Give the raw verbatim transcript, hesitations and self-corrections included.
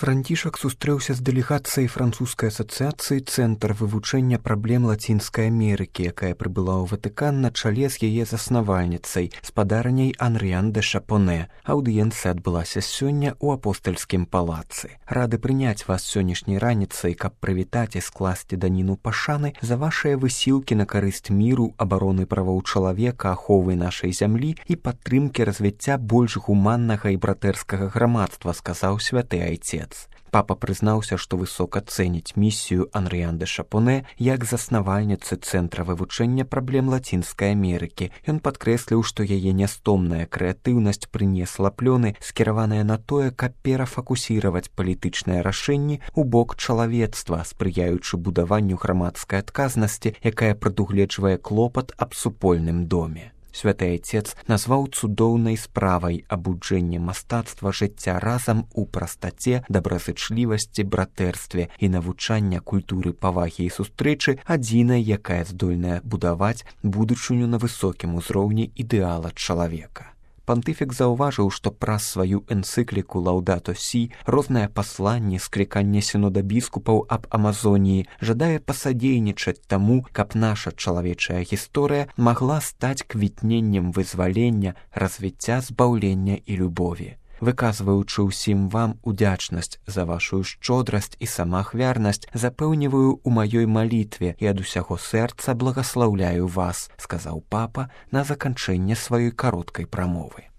Францішак сустрэўся з дэлегацыяй французскай асацыяцыі «Цэнтр вывучэння праблем Лацінскай Амерыкі», якая прыбыла ў Ватыкан на чале з яе заснавальніцай, спадарняй Анрыян де Шапонэ. Аўдыенцыя адбылася сёння ў апостальскім палацы. Рады прыняць вас сённяшняй раніцай, каб прывітаць і скласці даніну пашаны за вашыя высілкі на карысць міру, абароны правоў чалавека, аховы нашай зямлі і падтрымкі развіцця больш гуманнага і братэрскага грамадства, сказаў святы айцец. Папа прызнаўся, што высока цэніць місію Анрыян де Шапонэ як заснавальніцы Цэнтра вывучэння праблем Лацінскай Амерыкі. Ён падкрэсліў, што яе нястомная крэатыўнасць прынесла плёны, скіраваныя на тое, каб перафакусіраваць палітычныя рашэнні ў бок чалавецтва, спрыяючы будаванню грамадскай адказнасці, якая прадугледжвае клопат аб супольным доме. Святы айцец назваў цудоўнай справай абуджэнне мастацтва жыцця разам у прастаце, добразычлівасці, братэрстве і навучання культуры павагі і сустрэчы адзінай, якая здольная будаваць будучыню на высокім узроўні ідэала чалавека. Пантыфік заўважыў, што праз сваю энцыкліку «Лаўдато Сі» розныя пасланні, скліканне сінода біскупаў аб Амазоніі жадае пасадзейнічаць таму, каб наша чалавечая гісторыя магла стаць квітненнем вызвалення, развіцця, збаўлення і любові. Выказваючы ўсім вам удзячнасць за вашу шчодрасць і самаахвярнасць, запэўніваю ў маёй малітве і ад усяго сэрца благаслаўляю вас, сказаў папа на заканчэнне сваёй кароткай прамовы.